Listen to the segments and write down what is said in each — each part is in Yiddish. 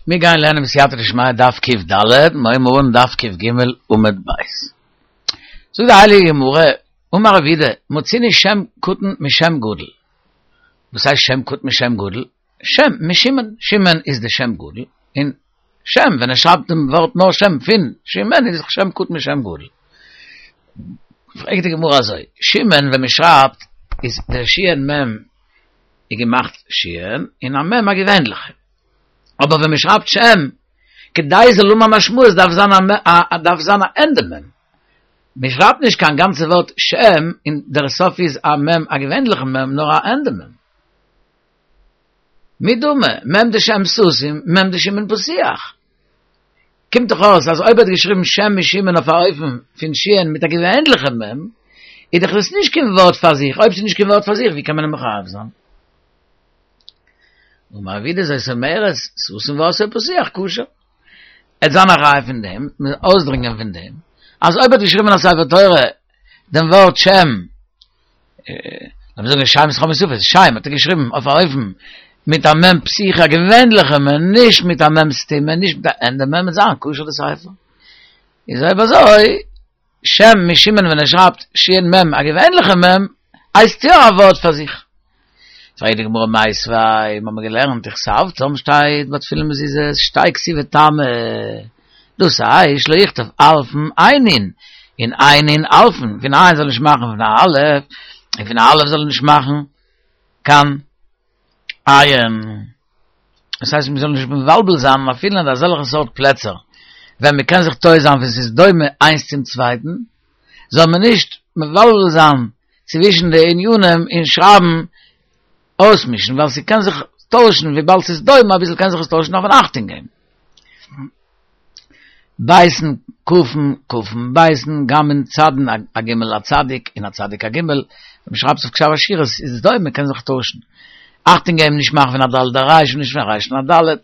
מיר גייען לערנען בסייעתא דשמיא דף ק"ד, מיר הייבן אן דף ק"ג עמוד ב'. זאגט די הייליגע גמרא, אמר רב יהודה, מצינו שם קטן משם גדול. וואס הייסט שם קטן משם גדול? שם משמעון, שמעון איז די שם גדול, און שם, ווען ער שרייבט דעם ווארט נאר שם פון שמעון איז שם קטן משם גדול. פרעגט די גמרא אזוי, שמעון ווען מען שרייבט איז דער שין מ' איז געמאכט שין און א מ' א געווענליכע, אבער ווען מען שרייבט שם, כדי זאל האבן א משמעות דארף זיין א דארף זיין א ענדע מ', מען שרייבט נישט קיין גאנצע ווארט שם און דער סוף איז א מ' א געווענליכע מ' נאר א ענדע מ'. מי דמי, מ' דשם סתום, מ' דשמעון פתוח. קומט דאך אויס אז אויב ער האט געשריבן שם משמעון אויף א אופן פון שין מיט א געווענליכע מ', איז דאך דאס נישט קיין ווארט פאר זיך, אויב ס'איז נישט קיין ווארט פאר זיך ווי קען מען אים מחייב זיין? אמר רב יהודה זאת אומרת, סתום ועשאו פתוח כשר. עט זיין א ראיה פון דעם, אויסדרינגען פון דעם, אז אויב ער האט געשריבן אין א ספר תורה דעם ווארט שם, לאמיר זאגן שם זכור מסופות, שם האט ער געשריבן אויף א אופן מיט א מ' פתוחה א געווענליכע מ', נישט מיט א מ' סתומה, נישט מיט א ענדע מ', וועט זיין כשר די ספר. איז אויב אזוי, שם משמעון ווען ער שרייבט שין מ' א געווענליכע מ', הייסט יא א ווארט פאר זיך. פרעגט די גמרא מיתיבי, מיר האבן געלערנט וכתבתם שטייט ביי תפילין מזוזות שתהא כתיבה תמה, דאס הייסט שלא יכתוב אלפין עיינין, און עיינין אלפין, פון עין זאל נישט מאכן פון א אלף, און פון א אלף זאל ער נישט מאכן קיין עין. דאס הייסט מ'זאל נישט מבלבל זיין אפילו אין אזעלכע סארט פלעצער ווען מ'קען זיך טועה זיין ווען ס'איז דומה איינס צום צווייטן, זאל מען נישט מבלבל זיין צווישן די ענינים און שרייבן אויסמישן ווייל ס'קען זיך טוישן וויבאלד ס'איז דומה אביסל קען זיך עס טוישן דארף מען אכטונג געבן. ביתין כפין כפין ביתין גמין צדין א גימל א צדיק און א צדיק א גימל ווען מ'שרייבט אויף כתב אשורית איז עס דומה קען זיך טוישן. אכטונג געבן נישט מאכן פון א ד' א ריש און נישט פון א ריש א ד'.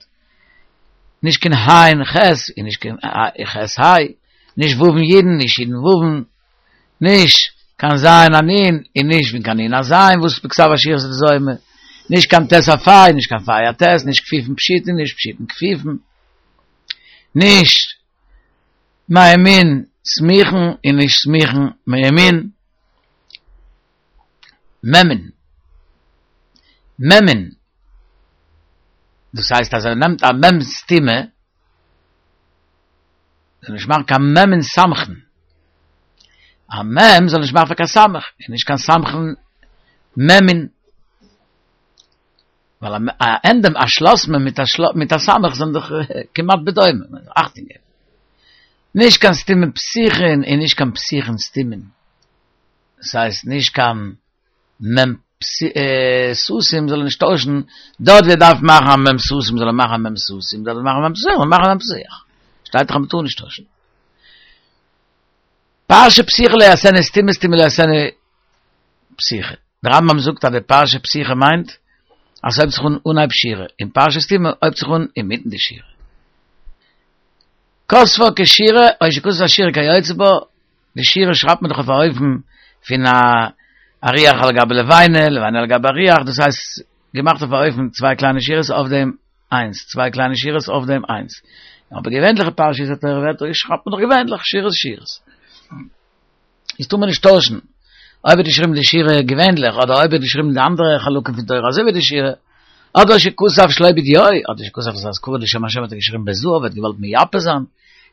נישט קיין היין ח' און נישט קיין ח' היי. נישט וואוון יודן נישט יודן וואוון. נישט קיין זיין א נון און נישט פון קיין נון א זיין וואס בכתב אשורית איז דומה, נישט קיין טית א פיי, נישט קיין פיי א טית, נישט כפיפין פשוטין, נישט פשוטין כפיפין, נישט מימין סמוכין און נישט סמוכין מימין, מעמין, מעמין, דאס הייסט אז ער נעמט א מ' סתומה, זאל נישט מאכן קיין מ' סמכין, א מ' זאל נישט מאכן פאר קיין סמך, און נישט קיין סמכין מ', ווייל א ענדע א שלאס מ' מיט א מיט א סמך זענען דאך כמעט בדומה, אכטונג געבן. נישט קיין סתומין פתוחין און נישט קיין פתוחין סתומין, דאס הייסט נישט קיין מ' סתום זאל ער נישט טוישן, דארט ווי ער דארף מאכן א מ' סתום זאל ער מאכן א מ' סתום, דארט ווי ער מאכן א מ' פתוח זאל ער מאכן א מ' פתוח, שטייט דאך אז מ'טאר נישט טוישן. פרשה פתוחה לא יעשנה סתומה סתומה לא יעשנה פתוחה. דער רמב"ם זאגט אז די פרשה פתוחה מיינט אז ס'הויבט זיך אן אנהייב שורה, און פרשה סתומה הויבט זיך אן אינמיטן די שורה. כתבה כשורה או שכתב השורה כיוצא בה, די שורה שרייבט מען דאך אויף א אופן פון א אריח על גבי לבנה, לבנה על גבי אריח, דאס הייסט געמאכט אויף א אופן צוויי קליינע שורות אויף דעם איינס, צוויי קליינע שורות אויף דעם איינס. אבער געווענליכע פרשיות התורה ווערט שרייבט מען דאך געווענליך שורות שורות. איז טאר מען נישט טוישן אויב האט געשריבן די שורה געווענליך אדער אויב האט געשריבן די אנדערע חלקים פון תורה אזוי ווי די שורה אדער שכתב שלא בדיו אדער שכתב את האזכרה לשם השם האט ער געשריבן בזהב האט געוואלט מייפה זיין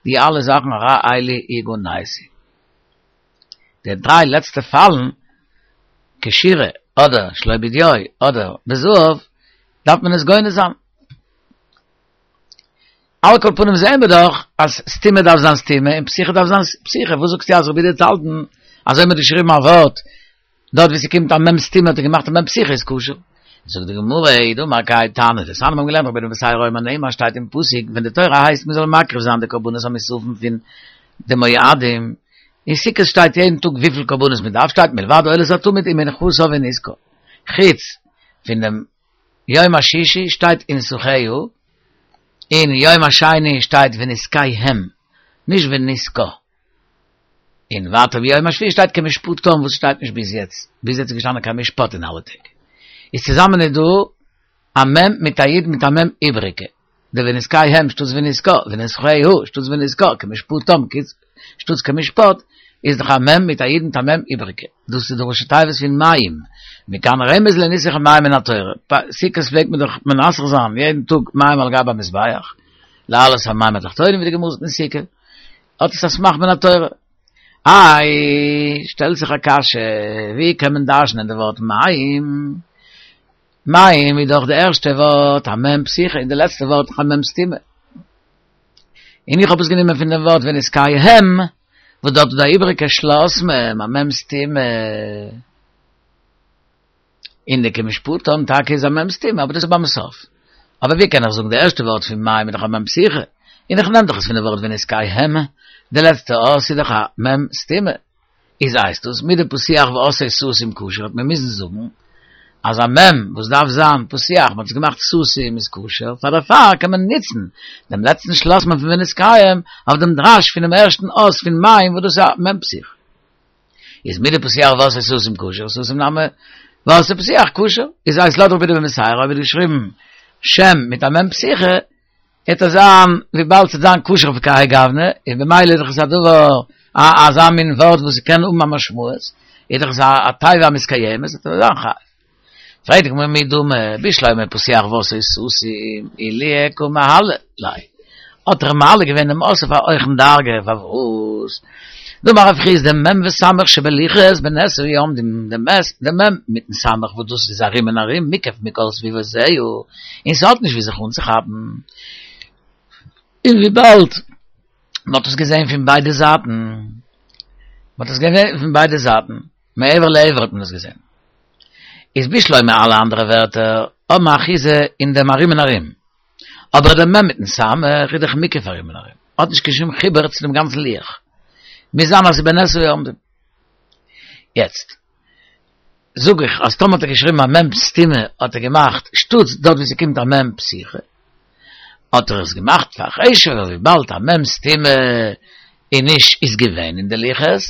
די אלע זאכן הרי אלו יגנזו. די דריי לעצטע פאלן כשורה אדער שלא בדיו אדער בזהב דארף מען עס גונז זיין. על כל פנים זעהן מיר דאך אז סתומה דארף זיין סתומה און פתוחה דארף זיין פתוחה, וואס זאגסטו אז רבי יהודה האט געהאלטן אז אויב מ'האט געשריבן א ווארט דארט ווי ס'קומט א מ' סתומה האט ער געמאכט א מ' פתוחה איז כשר? זאגט די גמרא אי דאמר כהאי תנא דתניא מיר האבן געלערנט רבי בתירא אומר נאמר שטייט אין פסוק ווען די תורה הייסט מ'זאל מקריב זיין די קרבנות המוספים פון די מועדים אין סוכות שטייט יעדן טאג וויפיל קרבנות מ'דארף שטייט מלבד עולת התמיד ומנחתה ונסכה חוץ פון דעם יום השישי שטייט ונסכיה, און יום השני שטייט ונסכיהם, נישט ונסכה. און ווייטער ביום השביעי שטייט כמשפטם וואס שטייט נישט ביז יעצט, ביז יעצט איז געשטאנען כמשפט אין אלע טעג. איז צוזאמען איז דא. א מ' מיט א י' מיט א מ' איבריגע, די ונזכיהם שטאטס ונזכה, ונזכהו שטאטס ונזכה, כמשפטם שטאטס כמשפט, איז דאך א מ' מיט א י' מיט א מ' איבריגע. דאס איז די ראשי תיבות פון מים. מכאן רמז לניסוך המים מן התורה. סוכות פלעגט מען דאך מנסך זיין יעדן טאג מים על גבי המזבח, להעלות המים התחתונים ווי די גמרא זאגט אין סוכה, האט עס א סמך מן התורה. איי, שטעלט זיך א קשיא, ווי קען מען דרש'נען די ווארט מים? מים איז דאך די ערשטע ווארט א מ' פתוחה און די לעצטע ווארט א מ' סתומה. און איך האב עס גענומען פון דעם ווארט ונזכיהם, וואס דארט איז דא א איבעריגע שלאס מ', א מ' סתומה. און די כמשפטם טאקע איז א מ' סתומה, אבער דאס איז ביים סוף. אבער ווי קען איך זאגן די ערשטע ווארט פון מים איז דאך א מ' פתוחה, און איך נעם דאך עס פון די ווארט ונזכיהם, די לעצטע אות איז דאך א מ' סתומה. איז הייסט דאס מדפתוח ועשאו סתום כשר האט מען מוזן זאגן אז א מ' וואס דארף זיין פתוח מ'האט עס געמאכט סתום איז כשר פאר דערפאר קען מען נוצן דעם לעצטן שלאס מ' פון ונזכיהם אויף דעם דרש פונעם ערשטן אות פון מים וואס דאס איז א מ' פתוחה איז מדפתוח ועשאו סתום כשר סתום נמי ועשאו פתוח כשר איז הייסט לויט רבי יהודה בן בתירא אויב האט געשריבן שם מיט א מ' פתוחה וועט עס זיין וויבאלד ס'וועט זיין כשר אויף כהאי גוונא, און במילא איז דאך עס א דבר, א אזא מין ווארט וואס ס'קען האבן א משמעות, איז דאך עס א תיבה המתקיימת, וועט ער זיין חייב. פרעגט די גמרא מי דמי, בשלמא פתוח ועשאו סתום, עילויי קא מעלי ליה, האט ער מעלה געווען דעם אות אויף א הויכן דרגה, פארוואס? דאמר רב חסדא מ' וסמך שבלוחות בנס היו עומדים, די מ' מיטן סמך וואס דאס איז ארום און ארום מוקף מכל סביבותיה, און ס'האט נישט ווי זיך אנצוכאפן, און וויבאלד מ'האט עס געזען פון ביידע זייטן, מ'האט עס געזען פון ביידע זייטן, מעבר לעבר האט מען עס געזען, איז בשלמא אלע אנדערע ווערטער האבן א אחיזה אין דעם ארום און ארום, אבער דער מ' מיטן סמך איז דאך מוקף ארום און ארום, האט נישט קיין שום חיבור צו דעם גאנצן לוח, מוז זיין אז ס'איז בנס היו עומדים. יעצט זאג איך אז טאמער האט ער געשריבן א מ' סתומה האט ער געמאכט שטאטס דארט ווי ס'קומט א מ' פתוחה האט ער עס געמאכט פאר חשוב'ער וויבאלד א מ' סתומה איז נישט איז געווען אין די לוחות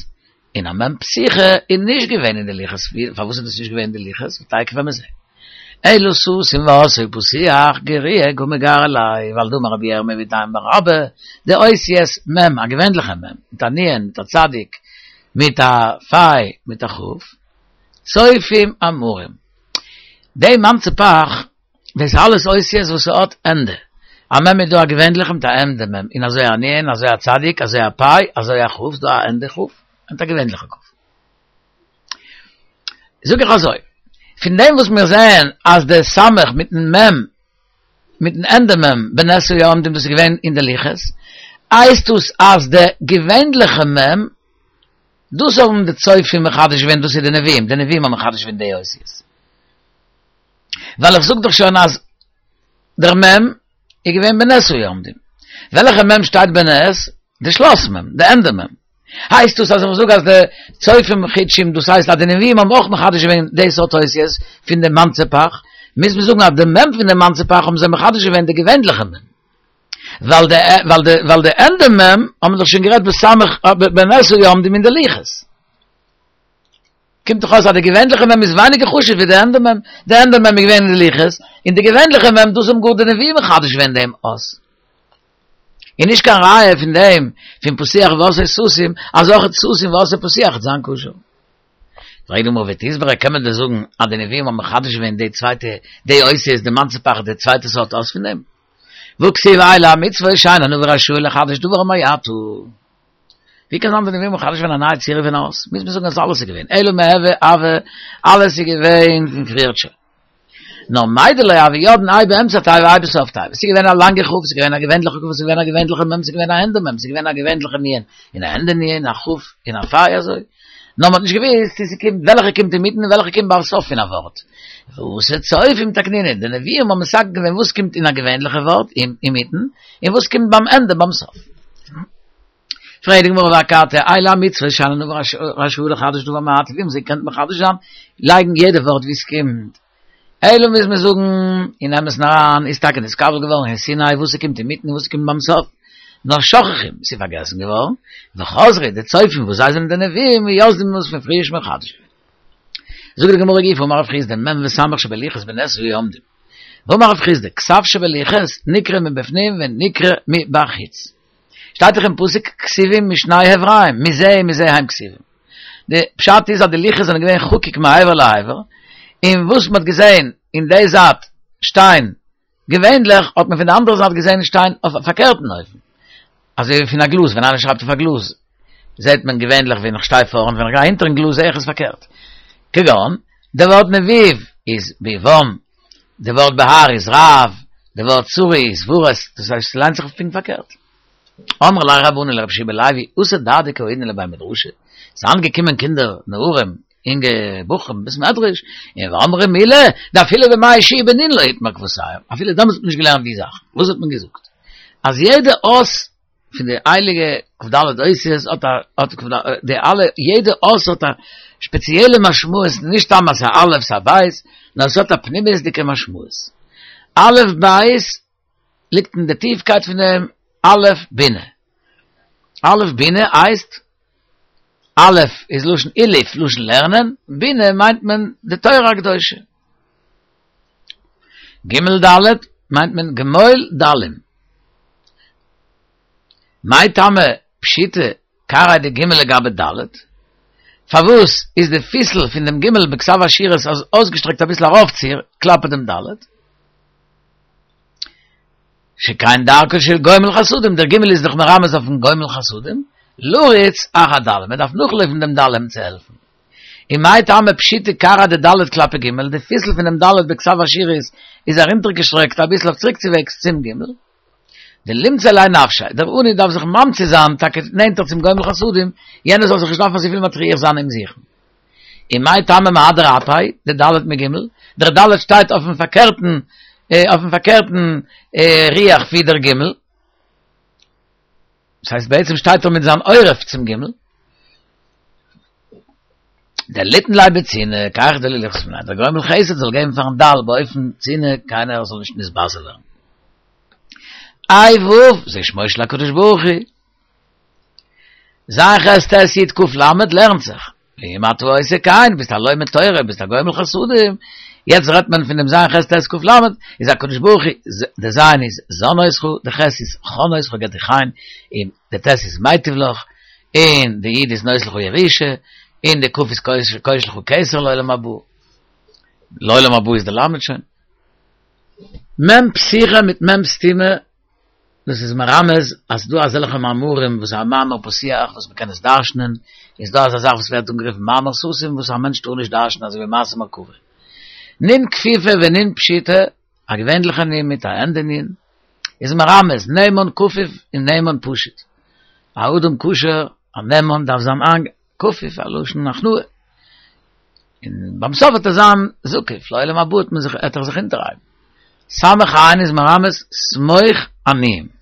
און א מ' פתוחה איז נישט געווען אין די לוחות פארוואס איז דאס נישט געווען אין די לוחות תיכף וועלן מיר זעהן אלא סתום ועשאו פתוח גרויי קא מגרי ליה ווייל דאמר רבי ירמי' ואיתימא בר אבא די אותיות מ' א געווענליכע מ' מיט א נ' מיט א צדיק מיט א פיי מיט א כ' צופים אמורים. די מנצה פך, דאס אלעס אותיות וואס ס'האט ענדע. א מ' איז דא א געווענליכע מיט א ענדע מ', און אזוי א נ', אזוי א צדיק, אזוי א פיי, אזוי א כ', ס'דא א ענדע כ', מיט א געווענליכע כ'. זאג איך אזוי, פון דעם וואס מיר זעען אז די סמך מיטן מ' מיטן ענדע מ' בנס היו עומדים דאס איז געווען אין די לוחות, הייסט דאס אז די געווענליכע מ', דאס האבן די צופים מחדש געווען דאס איז די נביאים, די נביאים האבן מחדש געווען די אותיות. ווייל איך זאג דאך שוין אז דער מ' איז געווען בנס היו עומדים. וועלכע מ' שטייט בנס? די שלאס מ', די ענדע מ'. הייסט דאס אז איך זאג אז די צופים חידשו, דאס הייסט אז די נביאים האבן אויך מחדש געווען די סארט אותיות פון די מנצה פך, מוז מען זאגן אז די מ' פון די מנצה פך האבן זיי מחדש געווען די געווענליכע מ'. ווייל די ווייל די ווייל די ענדע מ' האבן מיר דאך שוין גערעדט בסמך בנס היו עומדים אין די לוחות. קומט דאך אויס אז די געווענליכע מ' איז ווייניגער חשוב ווי די ענדע מ'. די ענדע מ' איז געווען אין די לוחות, און די געווענליכע מ' דאס האבן גאר די נביאים מחדש געווען דעם אות. און נישט קיין ראיה פון דעם פון פתוח ועשאו סתום אז אויך סתום ועשאו פתוח וועט זיין כשר. פרעגט די גמרא ותסברא קען מען דען זאגן אז די נביאים האבן מחדש געווען די צווייטע די אותיות די מנצה פך די צווייטע סארט אות פון דעם? והכתיב אלה המצוות שאין הנביא רשאי לחדש דבר מעתה. ווי קען זיין די נביאים האבן מחדש געווען א נייע צורה פון אות? מוז מען זאגן אז אלעס איז געווען אלא מהוי הוה אלעס איז געווען פון פריערט שוין. נאר מאי דלא הוו ידעין האי באמצע תיבה האי בסוף תיבה. ס'איז געווען א לאנגע כ', ס'איז געווען א געווענליכע כ', ס'איז געווען א געווענליכע מ', ס'איז געווען א ענדע מ', ס'איז געווען א געווענליכע נ', און א ענדע נ', א כ', און א פיי אזוי. נאר מ'האט נישט געוואוסט צו ס'קומט וועלכע קומט אינמיטן און וועלכע קומט ביים סוף פון א ווארט. ואתו צופים תקנינהו, די נביאים האבן מתקן געווען וואס קומט אין א געווענליכע ווארט אינמיטן, און וואס קומט ביים ענדע ביים סוף. פרעגט די גמרא ואכתי, אלו המצוות שאין הנביא רשאי לחדש דבר מעתה, ווי האבן זיי געקענט מחדש זיין, לייגן יעדע ווארט ווי עס קומט? אלא מוז מען זאגן, אין אמת'ן אריין איז טאקע נתקבל געווארן אין סיני וואס ס'קומט אינמיטן און וואס ס'קומט ביים סוף, נאר שכחום, ס'איז פארגעסן געווארן, וחזרו, די צופים וואס זיי זענען די נביאים, ויסדום האבן עס פון פריער מחדש געווען. זאגט די גמרא גופא אמר רב חסדא מ' וסמך שבלוחות בנס היו עומדים. ואמר רב חסדא, כתב שבלוחות נקרא מבפנים ונקרא מבחוץ. שטייט דאך אין פסוק כתובים משני עברים, מזה ומזה הם כתובים. די פשט איז אז די לוחות זענען געווען חקוק מעבר לעבר, און וואס מ'האט געזען אין די זייט שטיין געווענליך האט מען פון די אנדערע זייט געזען שטיין אויף א פארקערטן אופן. אזוי ווי פון א גלאז, ווען איינער שרייבט אויף א גלאז זעט מען געווענליך ווען איך שטיי פארנט, ווען איך גיי הינטערן גלאז זע איך עס פארקערט. כגון, די ווארט נביב איז ביבם, די ווארט בהר איז רב, די ווארט צרי איז פרס, דאס הייסט ס'ליינט זיך פונקט פארקערט. אמרי ליה רבנן לרבי יהושע בן לוי, אתו דרדקי האידנא לבי מדרשא, ס'זענען געקומען קינדער, נערים, אינגע בחורים בית מדרש, און ואמרי מילי, דאפילו בימי יהושע בן נון לא איתמר כוותייהו, אפילו דעמאלטס האט מען נישט געלערנט די זאכן, וואס האט מען געזאגט? אז יעדע אות פון די הייליגע כ"ד אותיות האט א, האט די אלע, יעדע אות האט א שפעציעלע משמעות, נישט סתם אז ס'איז א א' ס'איז א ב', נאר עס האט א פנימיות'דיגע משמעות. א' ב' ליגט אין די טיפקייט פון דעם א' בינה. א' בינה הייסט, א' איז לשון אילוף, לשון לערנען, בינה מיינט מען די תורה הקדושה. ג' ד' מיינט מען גמול דלים. מאי טעמא פשיטא כרעיה דג' לגבי ד'? פארוואס איז די פיסל פון דעם ג' בכתב אשורית אויסגעשטרעקט אביסל ארויפציר כלפי דעם ד'? שכן דרכו של גומל חסדים, דער ג' איז דאך מרמז אויפן גומל חסדים, לרוץ אחר דלים, מען דארף נאכלויפן דעם דלים צו העלפן. און מאי טעמא פשיטא כרעיה דד' כלפי ג', די פיסל פונעם ד' בכתב אשורית איז ארונטערגעשטרעקט אביסל אויף צוריקצווועגס צום ג'. דלימצי ליה נפשיה, דער עני דארף זיך ממציא זיין טאקע נענטער צום גומל חסדים, יענער זאל זיך נישט דארפן אזויפיל מטריח זיין אים זוכן. און מאי טעמא מהדר אפיה, דד' מג', דער ד' שטייט אויפן פארקערטן אויפן פארקערטן רוח ווי דער ג', דאס הייסט בעצם שטייט ער מיט זיין עורף צום ג', דליתן ליה בצנעה, כח דלא ליחס מיניה, דער גומל חסד זאל געבן פארן דל באופן צנעה, קיינער זאל נישט נתבזה ווערן. ה' ו', זה שמו של הקדוש ברוך הוא. ז' ח' ט' י' ק' ל' לערנט זיך, ואם אתה עושה כן, ביסט א לומד תורה, ביסט א גומל חסדים, יעצט רעדט מען פון דעם ז' ח' ט' ק' ל', איז הקדוש ברוך הוא, די ז' איז זן אותך, די ח' איז חן אותך, געבט דיך חן, און די ט' איז מיטיב לך, און די י' איז נותן לך ירושה, און די ק' איז קושר לך כתר לעולם הבא, לעולם הבא איז די ל' שוין. מ' פתוחה מיט מ' סתומה דאס איז מרמז אז ס'דא אזעלכע מאמרים וואס איז א מאמר פתוח וואס מ'קען עס דרש'נען, און ס'דא אזא זאך וואס ווערט אנגערופן מאמר סתום וואס א מענטש טאר נישט דרש'נען אזוי ווי מעשה מרכבה. נון כפופה ונון פשוטה, א געווענליכע נון מיט א ענדע נון, איז מרמז נאמן כפוף און נאמן פשוט. א אדם כשר, א נאמן דארף זיין כפוף, א לשון הכנעה. און ביים סוף וועט ער זיין זקוף, לעולם הבא וועט מען זיך, וועט ער זיך אונטערהייבן. סמך עין איז מרמז סמוך עניים.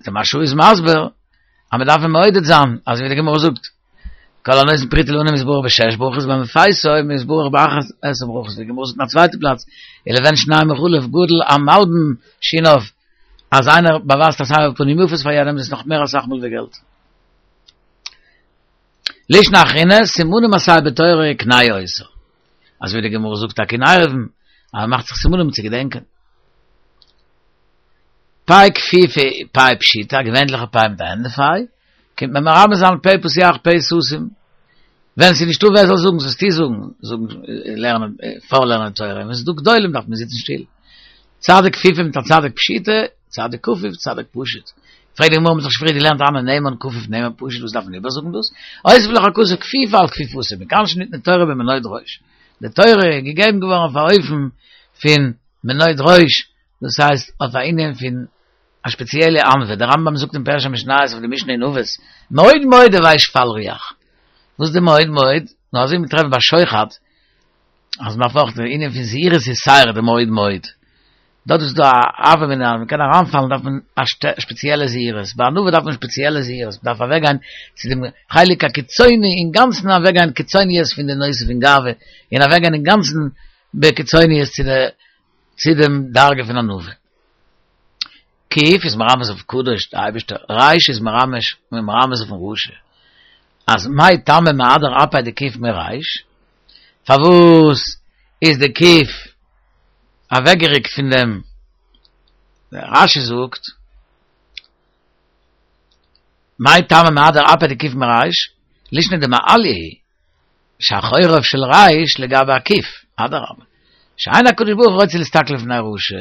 דער מהרש"א איז מסביר אז מען דארף אים מעודד זיין, אזוי ווי די גמרא זאגט, כל הנותן פרוטה לעני מתברך בשש ברכות והמפייסו מתברך באחת עשרה ברכות, די גמרא זאגט אין א צווייטע פלאץ, ולבן שניים בחלב גדול המלבין שיניו, אז איינער באווייזט א סבר פנים יפות פאר יענעם איז נאך מער אסאך מאל ווי געלט. לישנא אחרינא, סימנים עשה בתורה וקנה אותה. אזוי ווי די גמרא זאגט טאקע אין עירובין, אז מען מאכט זיך סימנים צו געדענקען. פ' כפופה פ' פשוטה, א געווענליכע פ' מיט א ענדע פ', קומט מען מרמז זיין פה פתוח פה סתום. ווען ס'איז נישטא ווער זאל זאגן, זאלסטו זאגן, זאגן, לערנען, פארלערנען תורה, ווען ס'איז דא גדולים דארף מען זיצן שטיל. צדיק כפופה מיט א צדיק פשוטה, צדיק כפוף, צדיק פשוט. פרעגט די גמרא, מ'האט דאך שוין פריער געלערנט הני נאמן כפוף נאמן פשוט, וואס דארף מען איבערזאגן דאס? הוסיף לך הכתוב כפיפה על כפיפתו, מכאן שניתנה תורה במנוד ראש. די תורה איז געגעבן געווארן אויף א אופן פון מנוד ראש, דאס הייסט אויף א ענין פון א שפעציעלע ענווה, דער רמב"ם זאגט אין פירוש המשניות אויף די משנה אין אבות, מאוד מאוד הוי שפל רוח. וואס איז די מאוד מאוד? נאר אזוי ווי מ'טרעפט ביי שוחד, אז מ'דארף אויך די ענין פון זהירות יתירה די מאוד מאוד. דארט איז דא א הוה אמינא אז מ'קען אריינפאלן דארף מען א שפעציעלע זהירות, ביי ענווה דארף מען שפעציעלע זהירות, מ'דארף אוועקגיין צו דעם חלק הקיצוני אינגאנצן אוועקגיין קיצוניות פון די נושא פון גאווה, און אוועקגיין אינגאנצן בקיצוניות צו די צו דעם דרגה פון ענווה. קוף איז מרמז אויף קדוש, די אייבערשטער, ריש איז מרמז מרמז אויפן רשע, אז מאי טעמא מהדר אפיה דקוף מריש, פארוואס איז די קוף. אוועקגעריקט פון דעם, רשי זאגט, מאי טעמא מהדר אפיה דקוף מריש, לישנא דמעליא היא, שאחוריו של ריש לגבי הקוף, אדרבה, שאין הקדוש ברוך הוא רוצה להסתכל לפני רשע.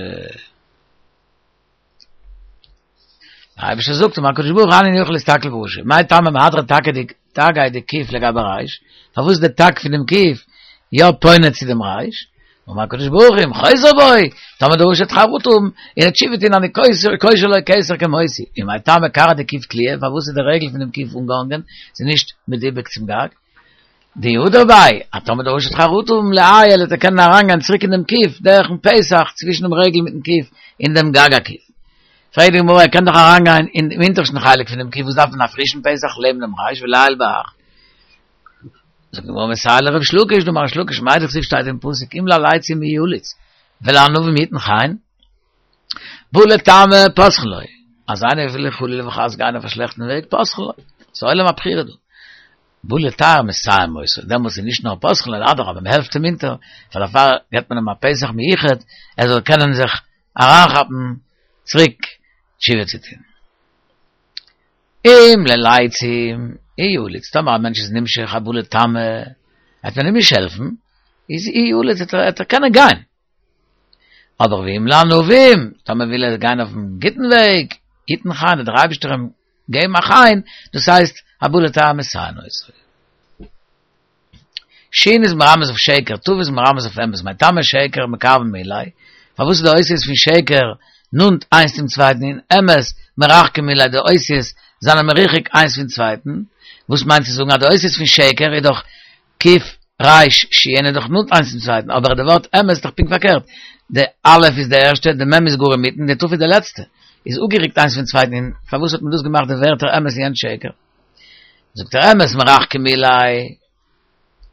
דער אייבערשטער זאגט אמר הקדוש ברוך הוא איני יכול להסתכל ברשע, מאי טעמא מהדרא תגיה דקוף לגבי ריש, פארוואס איז די תג פון דעם קוף יא פונה צו דעם ריש, אמר הקדוש ברוך הוא אם חוזר בו, טאמער דער רשע וועט חרטה האבן, און ער וועט תשובה טון אני קושר לו כתר כמותי, ומאי טעמא כרעא דקוף תלויה, פארוואס איז די רגל פון דעם קוף אנגעהאנגען, ס'איז נישט מדובק צום גג? דאי הדר ביה, אז טאמער דער רשע וועט חרטה האבן ליעייל וועט ער קענען אריינגיין צוריק אין דעם קוף דורכן פתח צווישן דעם רגל מיטן קוף אין דעם גג הקוף. פרעגט די גמרא ער קען דאך אריינגיין אין דעם אונטערשטן חלק פון דעם קוף וואס דארף מען א פרישן פתח לעבן דעם ריש וליעייל בהך. זאגט די גמרא מסייע ליה לריש לקיש דאמר ריש לקיש מאי דכתיב שטייט אין פסוק אם ללצים יליץ ולענווים יתן חן. בא לטמא פותחין לו, אז איינער וויל חלילה וחס גיין אויף א שלעכטן וועג פותחין לו, ס'איז עולם הבחירה דא. בא לטהר מסייעין אותו, דעמאלטס איז נישט נאר פותחין לו, אדרבה מען העלפט אים אונטער, פאר דערפאר געבט מען אים א פתח מיוחד ער זאל קענען זיך אריינכאפן צוריק תשובה צו טון. אם ללצים יליץ, טאמער א מענטש איז נמשך הבא לטמא, וועט מען אים נישט העלפן, איז יליץ וועט ער קענען גיין. אבער ואם לענווים, טאמער וויל ער גיין אויפן גוטן וועג, יתן חן, וועט דער אייבערשטער אים געבן א חן, דאס הייסט, הבא לטהר מסייעין אותו. שין איז מרמז אויף שקר, תיו איז מרמז אויף אמת, מאי טעמא שקר מקרבין מיליה, פארוואס איז די אותיות פון שקר נאנט איינס צום צווייטן און אמת מרחקין מיליה, די אותיות זענען מרוחק איינס פון צווייטן, וואס מיינט צו זאגן אז די אותיות פון שקר איז דאך קוף ריש שין איז דאך נאנט איינס צום צווייטן, אבער די ווארט אמת איז דאך פונקט פארקערט, די א' איז די ערשטע, די מ' איז גאר אינמיטן, די ת' איז די לעצטע, איז אפגערוקט איינס פון צווייטן, און פארוואס האט מען דאס געמאכט די ווערטער אמת און יענץ שקר? זאגט ער אמת מרחקין מיליה,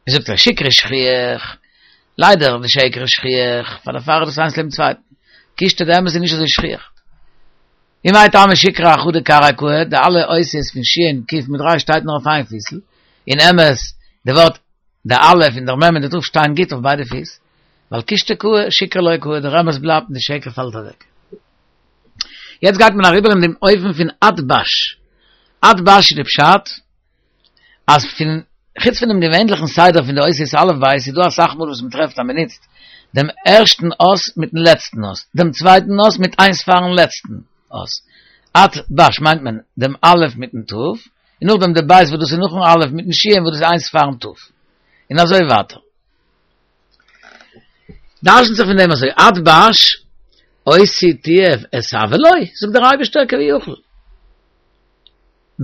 זאגט ער שקרא שכיח, ליידער די שקר איז שכיח, פאר דערפאר איז דאס איינס לעבן צווייטן, קושטא די אמת איז נישט אזוי שכיח. ומאי טעמא שקרא אחדא כרעיה קאי, די אלע אותיות פון שין, קוף מיט ריש שטייט נאר אויף איין פיסל, און אמת, די ווארט די א' און דער מ' און די ת' שטייען גוט אויף ביידע פיס, ווייל קושטא קאי, שקרא לא קאי, דער אמת בלייבט און די שקר פאלט אוועק. יעצט גייט מען אריבער אין דעם אופן פון אתבש. אתבש איז די פשט אז פון חוץ פון דעם געווענליכן סדר פון די אותיות אלף בית איז דא אסאך מאל וואס מען טרעפט אז מען נוצט דעם ערשטן אות מיטן לעצטן אות, דעם צווייטן אות מיט איינס פארן לעצטן אות. אתבש מיינט מען דעם א' מיטן ת', און נאכדעם די בית וואס דאס איז נאכן א' מיטן ש' וואס דאס איז איינס פארן ת'. און אזוי ווייטער. דרש'נט זיך פון דעם אזוי, אתבש, אותי תיעב אתאבא לו, זאגט דער אייבערשטער כביכול.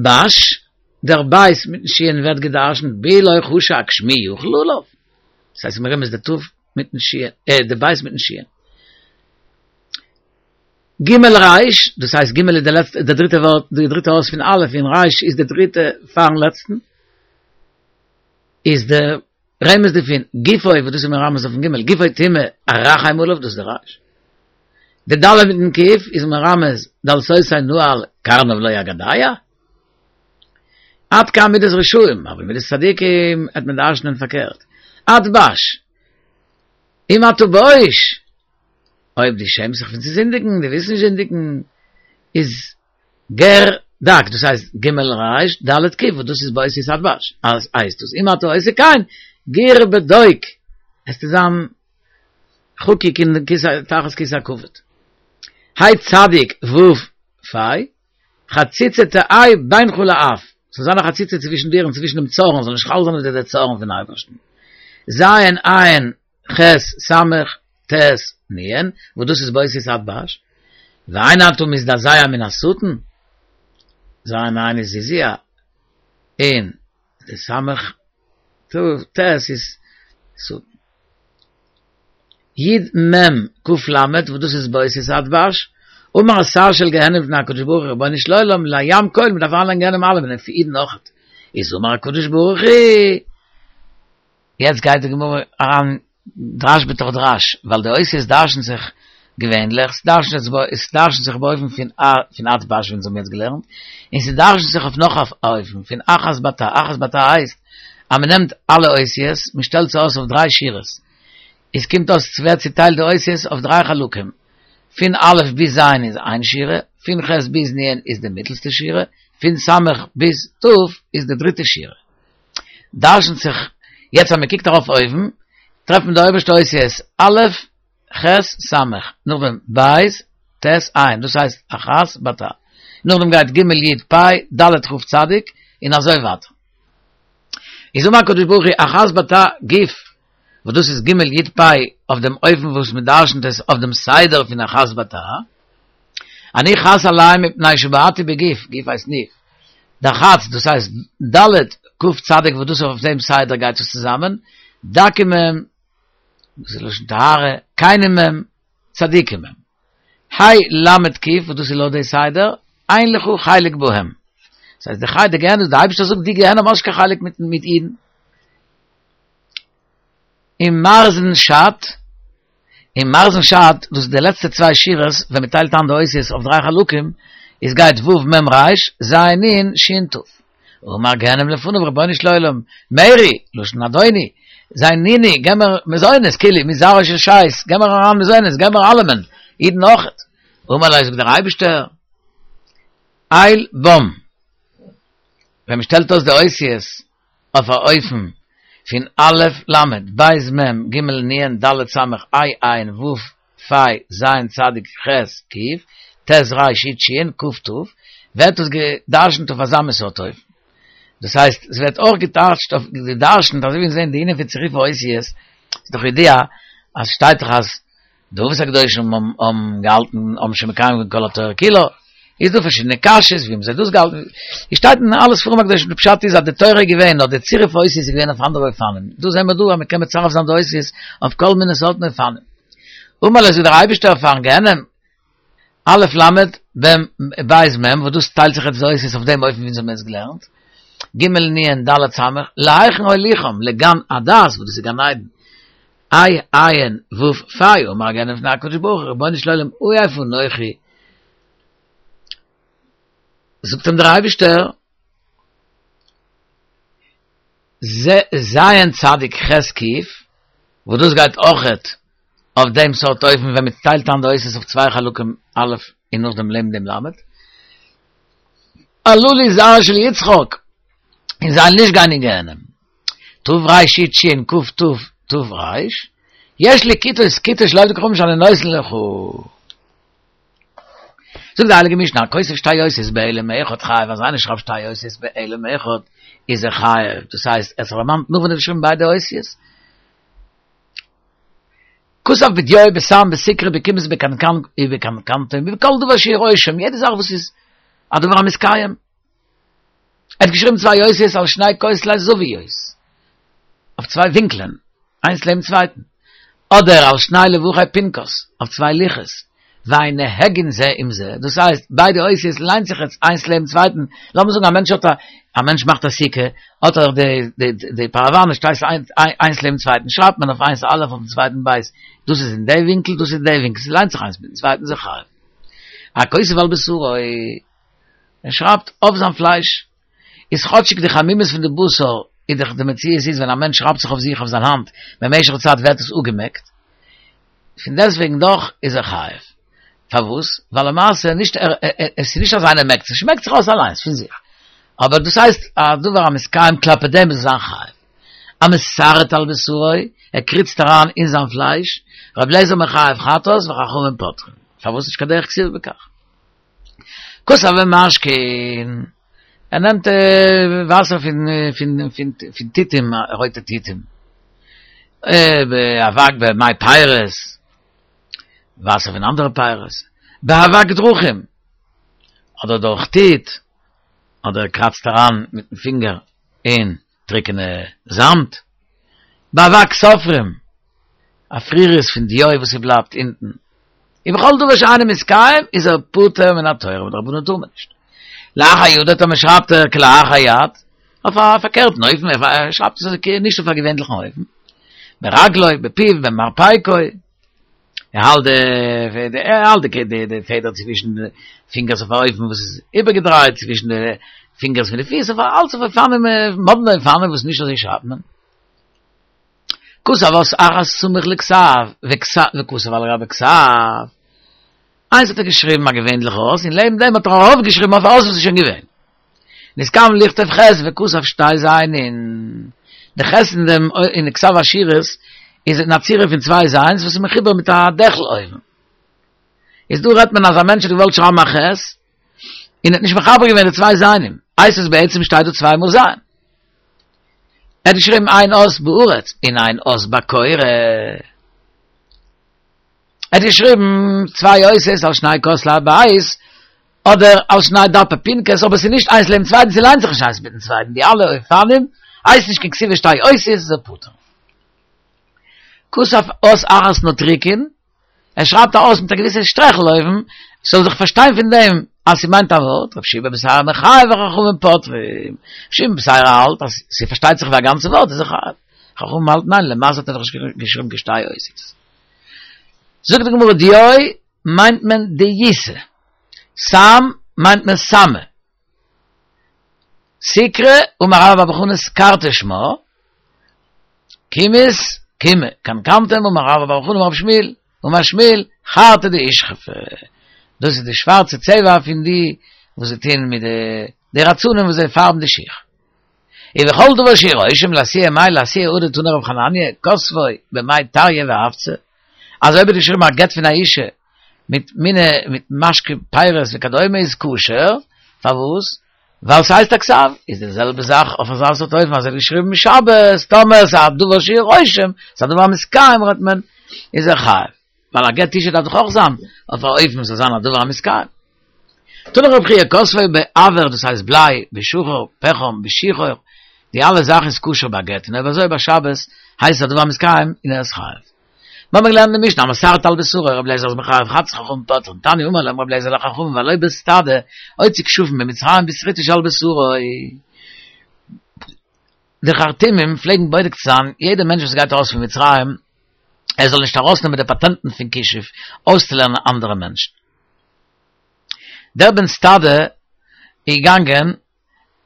בש, דער בית מיטן שין ווערט געדרשנט בי לא חשק שמי יחול עליו, דאס הייסט מרמז די ת' מיטן שין, אה, די בית מיטן שין. ג' ריש, דאס הייסט ג' איז די לעצטע, די דריטע ווארט, די דריטע אות פון א' און ריש איז די דריטע פארן לעצטן, איז די רמז דערפון, גופו, וואס דאס איז מרמז אויפן ג', גופו טמא, ארחם עליו, דאס איז די ריש. די ד' מיטן ק' איז מרמז דלתותי נעל קרניו לא אגדע. עד כאן מידת רשעים, אבער מידת צדיקים העט מען דרש'נען פארקערט. אתבש, אם אתה בוש, אויב דו שעמסט זיך פון צו זינדיגן, דו ווילסט נישט זינדיגן, איז גר דק, דאס הייסט ג' ריש ד' ק', וואס דאס איז באותיות אתבש, אז הייסט דאס אם אתה עושה כן, גור בדוק, עסטו זיין חקוק אין כסא תחת כסא הכבוד. ה' צדיק ו' פ', חציצה תהא בינך לאף, ס'זאל זיין א חציצה צווישן דיר און צווישן דעם צארן, זאל נישט חל זיין אויף דיר דער צארן פון אייבערשטן. ז' ע' ח' ס' ט' נ', וואס דאס איז באותיות אתבש, ואין אתה מזדעזע מן השטן, ז' ע' איז זעזוע, און די ס' ט' איז שטן. י מ ק ל, וואס דאס איז באותיות אתבש, אמר השר של גיהנום לפני הקדוש ברוך הוא רבונו של עולם לים כל, מען דארף אריינלייגן גיהנום אלעמען און פאר אידן אויכעט, איז אמר הקדוש ברוך הוא, יעצט גייט די גמרא אריין דרש בתוך דרש, ווייל די אותיות דרש'נט זיך געווענליך, ס'דרש'נט זיך באופן פון פון אתבש ווי אונז האבן יעצט געלערנט, און ס'דרש'נט זיך אויף נאך א אופן פון אחת בתא, אחת בתא הייסט אז מ'נעמט אלע אותיות, מ'שטעלט זיי אויס אויף דריי שורות. עס קומט אויס ס'ווערט צוטיילט די אותיות אויף דריי חלקים, פון א' ביז ז' איז איין שורה, פון ח' ביז נ' איז די מיטלסטע שורה, פון ס' ביז ת' איז די דריטע שורה. דרש'נט זיך, יעצט אז מען קוקט ארויף אויבן, טרעפט מען די אויבערשטע אותיות א', ח', ס', נאכדעם ב', ט', ע', דאס הייסט אחת בתא. נאכדעם גייט ג' י' פ', ד' כ' צדיק, און אזוי ווייטער. איז אמר הקדוש ברוך הוא אחת בתא גוף, וואס דאס איז ג' י' פ' אויף דעם אופן וואס מען דרש'נט עס אויף דעם סדר פון אחת בתא, אני חס עליהם מפני שבעטתי בגוף, גוף הייסט ניאוף, דח"צ דאס הייסט ד' כ' צדיק וואס דאס אויף דעם סדר גייט עס צוזאמען, דקים הם, דאס איז לשון טהרה, כנים הם, צדיקים הם. ה' ל' ק' וואס דאס איז לויט די סדר, אין לך חלק בהם. דאס הייסט די חי די גיהנום, די אייבערשטער זאגט די גיהנום האט נישט קיין חלק מיט מיט אידן. אין מרזין שת, אין מרזין שת, דאס איז די לעצטע צוויי שורות, ווען מען טיילט איין די אותיות אויף דריי חלקים, איז גייט ו' מ' ר', ז' נ' ש' ת'. אמר גיהנם לפניו רבונו של עולם, מרי, לשון אדוני, זיינוני, געב מיר מזונות, כאילו, מזרעו של שת, געב מיר אריין מזונות, געב מיר אלעמען, אידן אויכעט. אמר לו, זאגט דער אייבערשטער, אל בם, ווען מען שטעלט אויס די אותיות אויף א אופן פון א' ל', ב' מ', ג' נ', ד' ס', ה' ע', ו' פ', ז' צדיק, ח' ק', ט' ר' י' ש', כ' ת', ווערט עס גע'דרש'נט אויף אזא מין סארט אופן. דאס הייסט, עס ווערט אויך געטייטשט אויף גע'דרש'נט אזוי ווי אונז זעהן די ענין פון צירוף האותיות, איז דאך ידוע אז שטייט דאך אז די אבות הקדושים האבן געהאלטן, האבן שוין מקיים געווען כל התורה כולה, איז דא פארשידענע קשיות ווי האבן זיי דאס געהאלטן, עס שטייט אין אלע ספרים הקדושים די פשט איז אז די תורה איז געווען נאר די צירוף האותיות איז געווען אויף אנדערע אופנים, דא זעהן מיר דא אז מען קען מצרף זיין די אותיות אויף כל מיני סארטן אופנים. אמר לו זאגט דער אייבערשטער פארן גיהנם, א' ל' ב' מ', וואס דאס טיילט זיך יעצט די אותיות אויף דעם אופן ווי אונז האבן עס געלערנט, ג' נ' ד' ס', להיכן אוליכם, לגן הדעת, וואס דאס איז גן עדן, ה' ע' ו' פ', אמר הגיהנם לפני הקדוש ברוך הוא, רבונו של עולם, עיף אנכי, זאגט אים דער אייבערשטער, ז' צדיק ח' ק', וואס דאס גייט אויכעט אויף דעם סארט אופן ווען מען טיילט איין די אותיות אויף צוויי חלקים א' און נאכדעם לעבן דעם ל', הללו זרעו של יצחק, און זיי נישט גיין אין גיהנום. ת' ריש י' ש' ק' ת' ת' ריש, יש לי כיתות כיתות של עובדי כוכבים שאני נותן לך. זאגט די הייליגע משנה, הכותב שתי אותיות בהעלם אחד חייב, אז איינער שרייבט שתי אותיות בהעלם אחד איז ער חייב, דאס הייסט ער האט זיך דערמאנט נאך ווען ער האט געשריבן ביידע אותיות. כתב בדיו בסם בסיקרא בקומז בקנקן ובקנקנתום ובכל דבר שהוא רושם, יעדע זאך וואס איז א דבר המתקיים. ער האט געשריבן צוויי אותיות על שני כותלי זוויות, אויף צוויי ווינקלען, איינס לעבן צווייטן, אדער על שני לוחי פנקס, אויף צוויי לוחות, ואין נהגין זה עם זה, דאס הייסט, ביידע אותיות ליינט זיך יעצט איינס לעבן צווייטן, לאמיר זאגן א מענטש האט א, א מענטש מאכט א סוכה, האט ער די די די פאראוואנעס שטייט איינס לעבן צווייטן, שרייבט מען אויף איינס א' אויפן צווייטן ב', דאס איז אין די ווינקל, דאס איז אין די ווינקל, ס'ליינט זיך איינס מיטן צווייטן איז ער חייב. הכותב על בשרו. ער שרייבט אויף זיין פלייש, איז כאטשיג די חמימות פון די בשר איז דאך די מציאות איז ווען א מענטש שרייבט זיך אויף זיך אויף זיין האנט במשך די צייט ווערט עס אפגעמעקט, פון דעסטוועגן דאך איז ער חייב. פארוואס? ווייל למעשה נישט ער עס איז נישט אז איינער מעקט עס, עס שמעקט זיך אויס אליינס פון זיך. אבער דאס הייסט א דבר המתקיים כלפי דעם איז ער זיין חייב. המסרט על בשרו, ער קריצט אריין אין זיין פלייש, רבי אליעזר מחייב חטאת וחכמים פוטרין. פארוואס נישט קיין דרך כתיבה בכך? כתב במשקין, ער נעמט וואסער פון פון פון פון תותים, רויטע תותים, באבק במי פירות, וואסער פון אנדערע פירות, באבק דרכים, אדער דורך טיט, אדער ער קראצט אריין מיטן פינגער אין טריקענע זאמד, באבק סופרים, אפריריות פון דיו וואס ס'בלייבט אונטן, ובכל דבר שאינו מתקיים איז ער פטור מן התורה, מדרבנן טאר מען נישט. לאחר ידו טאמער שרייבט ער כלאחר יד, אויף א פארקערטן אופן, ער שרייבט עס אזוי נישט אויף א געווענליכן אופן, ברגלו, בפיו, במרפקו, ער האלט די ער האלט די די פעדער צווישן די פינגערס אויף א אופן וואס איז איבערגעדרייט צווישן די פינגערס פון די פיס אויף אלץ אויף אופנים מאדנע אופנים וואס נישט אזוי שרייבט מען. כתב אות אחת סמוך לכתב, וכתב על גבי כתב. איינס האט ער געשריבן א געווענליכע אות, און לעבן דעם האט ער ארויפגעשריבן אויף א אות וואס איז שוין געווען. נתכוון לכתוב ח' וכתב שתי זיינין. די ח' אין דעם אין די כתב אשורית איז אין א צורה פון צוויי זיינס וואס איז מחובר מיט א דעכל אויבן. איז דא רעדט מען אז א מענטש האט געוואלט שרייבן א ח' און האט נישט מחבר געווען די צוויי זיינים. הייסט עס בעצם שטייט דא צוויי מאל זיין. ער האט געשריבן איין אות בארץ און איין אות בקורה. ער האט געשריבן צוויי אותיות על שני כותלי הבית, אדער על שני דפי פנקס, אבער ס'איז נישט איינס לעבן צווייטן, ס'ליינט זיך נישט איינס מיטן צווייטן, די אלע אופנים הייסט נישט קיין כתיבת שתי אותיות, איז ער פטור. כתב אות אחת נוטריקון, ער שרייבט א אות מיט א געוויסע שטרעכל אויבן, ס'זאל זיך פארשטיין פון דעם אז ס'מיינט א ווארט, רבי יהושע בן בתירא מחייב וחכמים פוטרים, רבי יהושע בן בתירא האלט אז ס'פארשטייט זיך ווי א גאנצע ווארט איז ער חייב, חכמים האלטן ניין, למעשה האט ער דאך נישט געשריבן קיין שתי אותיות. זאגט די גמרא דיו מיינט מען דיותא, סם מיינט מען סמא, סיקרא אמר רבה בר בר חנה סקרתא שמה, קימית קימא, קנקנתום אמר רבה בר בר חנה אמר רב שמואל, אמר שמואל, חרטא דאושכפי, דאס איז די שווארצע צבע פון די וואס זיי טוען מיט די רצנים וואס זיי פארבן די שיך. ובכל דבר שהוא רושם לאתויי מאי לאתויי הא דתני רב חנניה, כתבו במי טריא ואפצא, אז אויב האט געשריבן א גט פון א אישה מיט מיני מיט משקה פירות וכדומה איז כשר, פארוואס? ווייל ס'הייסט א כתב, איז די זעלבע זאך אויף אזא סארט אופן אז ער האט געשריבן שבת, טאמער ס'איז א דבר שהוא רושם, ס'איז א דבר המתקיים רעדט מען, איז ער חייב. ווייל א גט אשה דארף דאך אויך זיין אויף א אופן ס'זאל זיין א דבר המתקיים. תני רבי חייא כתבו באבר דאס הייסט בליי, בשחור, פחם, בשיחור, די אלע זאכן איז כשר ביי גט, און אויב אזוי ביי שבת הייסט עס א דבר המתקיים און ער איז חייב. מיר האבן געלערנט אין די משנה המסרט על בשרו רבי אליעזר איז מחייב חטאת חכמים פוטרין תניא אמר להם רבי אליעזר לחכמים והלא בן סטדא הוציא כשפים ממצרים בשריטה שעל בשרו. די חרטומים פלעגן בודק זיין יעדע מענטש וואס גייט ארויס פון מצרים ער זאל נישט ארויסנעמען די פאטענטן פון כישוף אויסצולערנען אנדערע מענטשן. דער בן סטדא איז געגאנגען,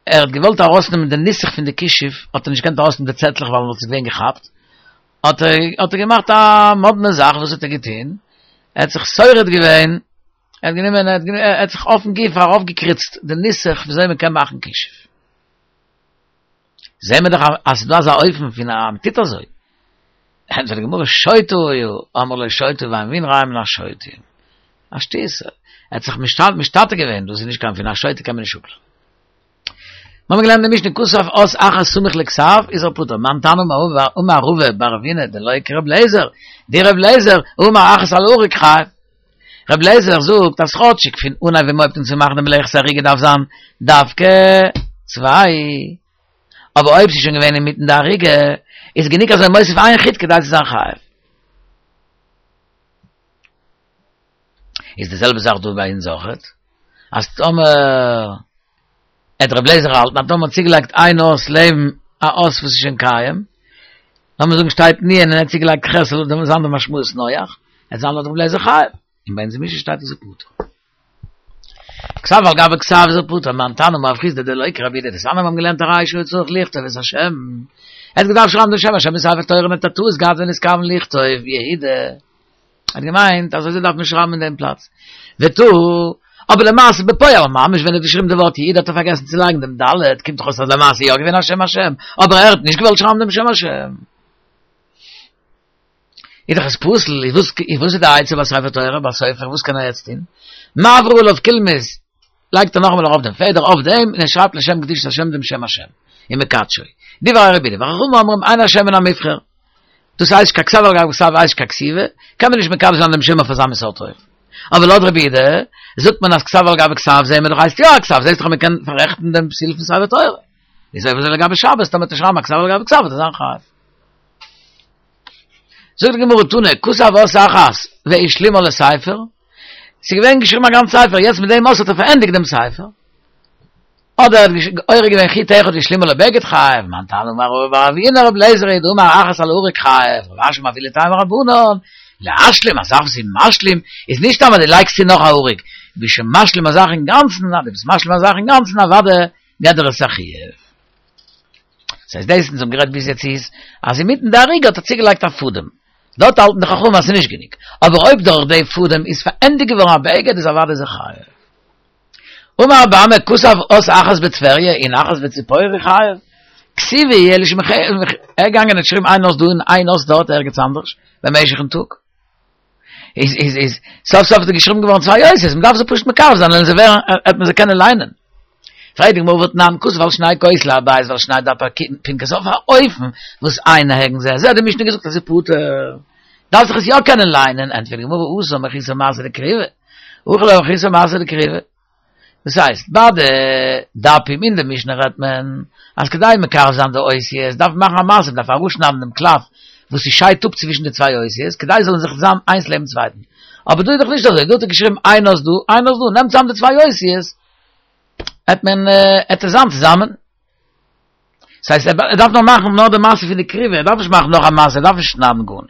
ער האט געוואלט ארויסנעמען די נוסח פון די כישוף, האט ער נישט געקענט ארויסנעמען די צעטלעך ווייל מען וואלט עס געווען געכאפט, האט ער האט ער געמאכט א מאדנע זאך, וואס האט ער געטון? ער האט זיך שורד געווען, ער האט גענומען, ער האט זיך אויפן גוף ארויפגעקריצט די נוסח וויאזוי מען קען מאכן כישוף. זעהן מיר דאך אז ס'איז דא אזא אופן פון אז מ'טוט אזוי. ענטפערט די גמרא שוטה היה, אמרו לו שוטה ואין מבין רע מן השוטים. א שטות. ער האט זיך משתטה געווען, דאס איז נישט קיין פון א שוטה קען מען נישט אפלערנען. מיר האבן געלערנט אין די משנה כתב אות אחת סמוך לכתב איז ער פטור, מאן תנא אמר רבא בר אבינא דלא כר' אליעזר, דר' אליעזר אמר אחת על האריג חייב. ר' אליעזר זאגט אז כאטשיג פון אנהייב ווען מ'הויבט אן צו מאכן די מלאכת אריגה דארף זיין דווקא צוויי, אבער אויב ס'איז שוין געווען אינמיטן די אריגה איז גענוג אז ער מוסיף איין חוט כדי צו זיין חייב. איז די זעלבע זאך דא ביי אונז אויכעט, אז טאמער וועט ר' אליעזר האלטן אז טאמער מ'האט צוגעלייגט איין אות לעבן א אות וואס איז שוין קיים, לאמיר זאגן שטייט נ' און ער האט צוגעלייגט ח' זאל דעמאלטס זיין די משמעות נח, וועט זיין לויט ר' אליעזר חייב, און ביי אונז אין משנה שטייט איז ער פטור. כתב על גבי כתב איז ער פטור, מאן תנא אמר רב חסדא דלא כרבי יהודה דתניא מיר האבן געלערנט הרי שהיה צריך לכתוב את השם, ער האט געדארפט שרייבן דעם שם השם אין ספר תורה און האט א טעות געהאט ונתכוון לכתוב יהודה. האט געמיינט אז אזוי דארף מען שרייבן אין דעם פלאץ. וטעה, אבער למעשה בפועל ממש ווען ער האט געשריבן די ווארט יהודה האט ער פארגעסן צו לייגן דעם ד', קומט דאך אויס אז למעשה איז יא געווען א שם השם, אבער ער האט נישט געוואלט שרייבן דעם שם השם. איז דאך עס פסול, איז וואס איז וואס איז די עצה ביי ספר תורה, ביי סופר, וואס קען ער יעצט טון? מעביר עליו קולמוס, לייגט ער נאכאמאל ארויף דעם פעדער אויף דעם און ער שרייבט לשם קדושת השם דעם שם השם, ומקדשו. דברי רבי יהודה, וחכמים אומרים אין השם מן המובחר. דאס הייסט קיין כתב על גבי כתב הייסט קיין כתיבה, קען מען נישט מקדש זיין דעם שם אויף אזא מין סארט אופן. אבער לויט רבי יהודה זאגט מען אז כתב על גבי כתב זעהן מיר דאך הייסט יא א כתב, זעהסט דאך אז מען קען פאררעכטן דעם פתיל פון ספר תורה. איז אויב אזוי לגבי שבת טאמער וועט ער שרייבן א כתב על גבי כתב וועט ער זיין חייב. זאגט די גמרא תנא, כתב אות אחת והשלימה לספר, ס'איז געווען געשריבן א גאנץ ספר, יעצט מיט דעם אות האט ער פארענדיגט דעם ספר. אדער ער האט אורג געווען חוט אחד והשלימו לבגד חייב, מאן תנא אמר רבא בר אבינא רבי אליעזר היא דאמר אחת על האריג חייב, רב אשי מביא לטעמא רבנן, להשלים, א זאך וואס איז משלים, איז נישט סתם אז דו לייגסט צו נאך א אריג, ביסט שוין משלים א זאך אינגאנצן, אז דו ביסט משלים א זאך אינגאנצן אוודאי געט דיר עס א חיוב. ס'הייסט דאס אונז האבן גערעדט ביז יעצט איז אז אינמיטן די אריגה האט ער צוגעלייגט א פאדעם, דארט האלטן די חכמים אז ס'איז נישט גענוג, אבער אויב דורך די פאדעם איז פארענדיגט געווארן א בגד איז אוודאי איז ער חייב. אמר רבי אמי כתב אות אחת בטבריה און אחת בציפורי חייב, כתיבה היא אלא שמח ער איז געגאנגען און האט געשריבן איין אות דא און איין אות דארט ערגעץ אנדערש במשך'ן טאג. איז איז איז סוף סוף איז געשריבן געווארן צוויי אותיות, מ'דארף זיי פשוט מקרב זיין און זיי ווערן וועט מען זיי קענען ליינען. פרעגט די גמרא והתנן כתב על שני כותלי הבית ועל שני דפי פנקס אויף א אופן וואס אין נוהגין זה את זה האט די משנה געזאגט אז ס'איז פטור דארף זיך עס יא קענען ליינען, ענטפערט די גמרא התם מחוסר מעשה דכתיבה, הכא לא מחוסר מעשה דכתיבה. דאס הייסט, ביי די דפים אין די משנה רעדט מען אז כדי מקרב זיין די אותיות דארף מען מאכן א מעשה, מען דארף אראפשניידן דעם קלף וואס ס'שיידט אפ צווישן די צוויי אותיות כדי זיי זאלן זיך זיין איינס לעבן צווייטן. אבער דא איז דאך נישט אזוי, דא האט ער געשריבן איין אות דא, איין אות דא, נעם צוזאם די צוויי אותיות, עט מען עט עס זיין צוזאמען. דאס הייסט ער דארף נאר מאכן נאר די מעשה פון די כריבה, ער דארף נישט מאכן נאך א מעשה, ער דארף נישט שניידן גארנישט.